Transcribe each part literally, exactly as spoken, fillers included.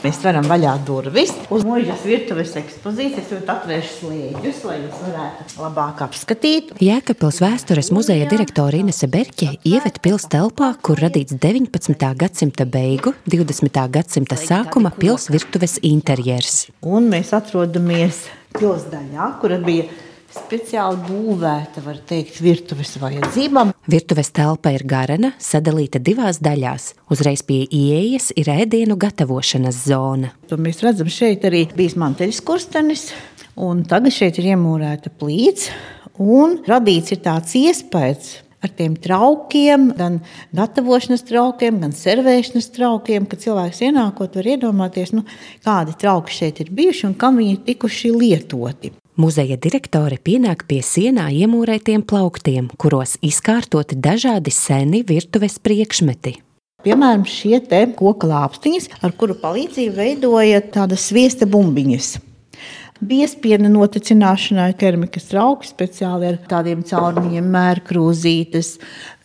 Mēs varam vaļā durvis uz Muižas virtuves ekspozīcijas, jo atvērš slēģus, lai jūs varētu labāk apskatīt. Jēkabpils vēstures muzeja direktore Inese Berķe ieved pils telpā, kur radīts deviņpadsmitā gadsimta beigu, divdesmitā gadsimta sākuma pils virtuves interjers. Un mēs atrodamies pils daļā, kura bija speciāli būvēta, var teikt, virtuves vajadzībām. Virtuves telpa ir garena, sadalīta divās daļās. Uzreiz pie ieejas ir ēdienu gatavošanas zona. To mēs redzam, šeit arī bijis manteļas kurstenis, un tagad šeit ir iemūrēta plīts, un radīts ir tāds iespējas ar tiem traukiem, gan gatavošanas traukiem, gan servēšanas traukiem, ka cilvēks ienākot var iedomāties, nu, kādi trauki šeit ir bijuši un kam viņi tikuši lietoti. Muzeja direktore pienāk pie sienā iemūrētiem plauktiem, kuros izkārtoti dažādi seni virtuves priekšmeti. Piemēram, šie te koka lāpstiņas, ar kuru palīdzību veidoja tādas sviesta bumbiņas. Biespiena noticināšanai keramikas trauki speciāli ar tādiem caurumiem, mērkrūzītes,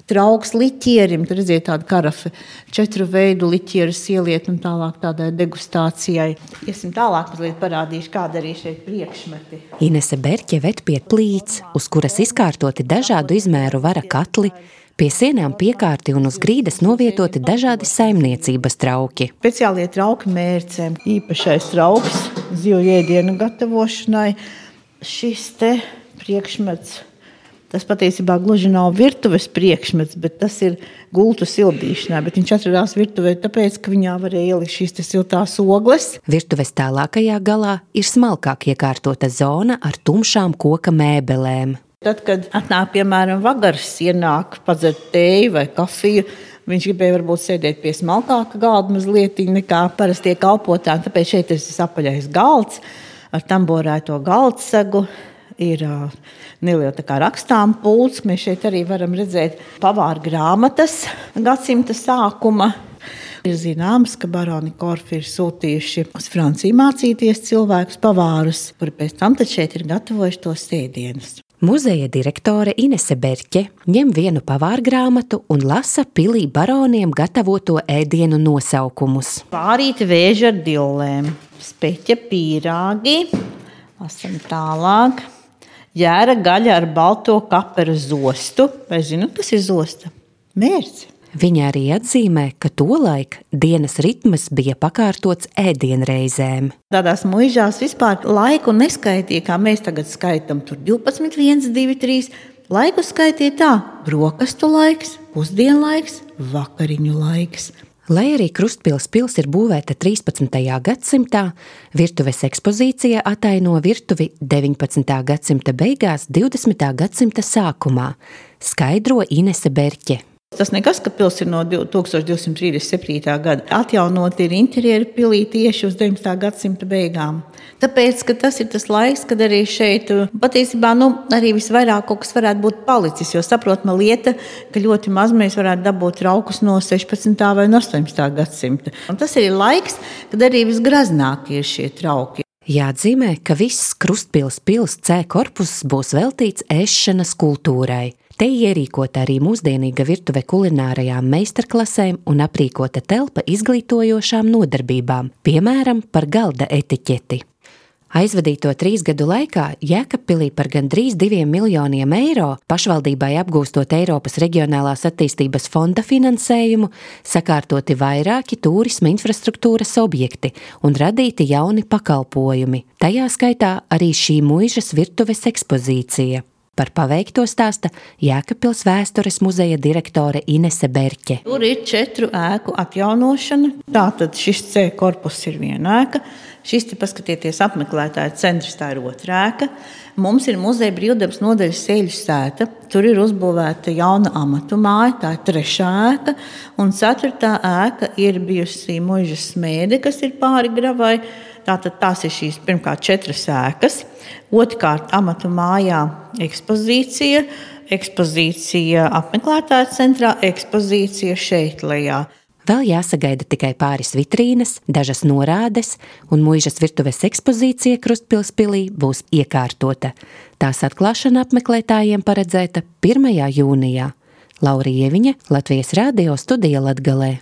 trauks liķierim, tur redziet tādu karafi, četru veidu liķieru ieliet un tālāk tādai degustācijai. Iesim tālāk, mazliet parādīšu, kāda arī šeit priekšmeti. Inese Berķe ved pie plīts, uz kuras izkārtoti dažādu izmēru vara katli, pie sienām piekārti un uz grīdas novietoti dažādi saimniecības trauki. Speciālie trauki mērcēm, īpašais trauks zivju ēdienu gatavošanai. Šis te priekšmets, tas patiesībā gluži nav virtuves priekšmets, bet tas ir gultu sildīšanai, bet viņš atradās virtuvē tāpēc, ka viņā varēja ielikt šīs siltās ogles. Virtuves tālākajā galā ir smalkāk iekārtota zona ar tumšām koka mēbelēm. Tad, kad atnāk, piemēram, vagars, ienāk padzert tēju vai kafiju, viņš gribēja varbūt sēdēt pie smalkāka galda mazliet nekā parastie kalpotāji, tāpēc šeit ir tas apaļais galds ar tamborēto galdsegu. Ir uh, neliela tā kā rakstām pults. Mēs šeit arī varam redzēt pavāra grāmatas gadsimta sākuma. Ir zināms, ka baroni Korfi ir sūtījuši uz Franciju mācīties cilvēkus pavārus, kuri pēc tam tad šeit ir gatavojuši tos ēdienus. Muzeja direktore Inese Berķe ņem vienu pavāra grāmatu un lasa pilī baroniem gatavoto ēdienu nosaukumus. Pārīti vēži ar dillēm, speķa pīrāgi, lasam tālāk. Jēra gaļa ar balto kaperu zostu. Vai zinu, kas ir zosta? Mērci. Viņa arī atzīmē, ka tolaik dienas ritmas bija pakārtots ēdienreizēm. Tādās muižās vispār laiku neskaitīja, kā mēs tagad skaitam. Tur divpadsmit, viens, divi, trīs. Laiku skaitīja tā. Brokastu laiks, pusdienlaiks, vakariņu laiks. Lai arī Krustpils pils ir būvēta trīspadsmitajā gadsimtā, virtuves ekspozīcija ataino virtuvi deviņpadsmitā gadsimta beigās, divdesmitā gadsimta sākumā, skaidro Inese Berķe. Tas nekas, ka pils ir no tūkstoš divsimt trīsdesmit septītā gada. Atjaunot ir interjeri pilī tieši uz deviņpadsmitā gadsimta beigām. Tāpēc, ka tas ir tas laiks, kad arī šeit patiesībā nu, arī visvairāk kaut kas varētu būt palicis, jo saprotama lieta, ka ļoti maz mēs varētu dabūt traukus no sešpadsmitā vai no astoņpadsmitā gadsimta. Un tas ir laiks, kad arī visgraznākie ir šie trauki. Jāatzīmē, ka viss Krustpils pils C korpuss būs veltīts ēšanas kultūrai. Te ierīkota arī mūsdienīga virtuve kulinārajām meistarklasēm un aprīkota telpa izglītojošām nodarbībām, piemēram, par galda etiķeti. Aizvadīto trīs gadu laikā Jēkabpilī par gandrīz diviem miljoniem eiro, pašvaldībai apgūstot Eiropas reģionālās attīstības fonda finansējumu, sakārtoti vairāki tūrisma infrastruktūras objekti un radīti jauni pakalpojumi. Tajā skaitā arī šī muižas virtuves ekspozīcija. Par paveikto stāsta Jēkabpils vēstures muzeja direktore Inese Berķe. Tur ir četru ēku atjaunošana. Tātad šis C korpuss ir viena ēka. Šis, te paskatieties, apmeklētāja centrs, tā ir otra ēka. Mums ir muzeja brīvdabas nodaļas Sēļu sēta. Tur ir uzbūvēta jauna amatu māja, tā ir trešā ēka. Un ceturtā ēka ir bijusi muižas smēde, kas ir pāri gravai. Tātad tās ir šīs pirmkārt četras ēkas. Otrkārt amatu mājā ekspozīcija, ekspozīcija apmeklētāja centrā, ekspozīcija šeit lejā. Vēl jāsagaida tikai pāris vitrīnes, dažas norādes, un muižas virtuves ekspozīcija Krustpils pilī būs iekārtota. Tās atklāšana apmeklētājiem paredzēta pirmajā jūnijā. Laura Ieviņa, Latvijas radio studija Latgalē.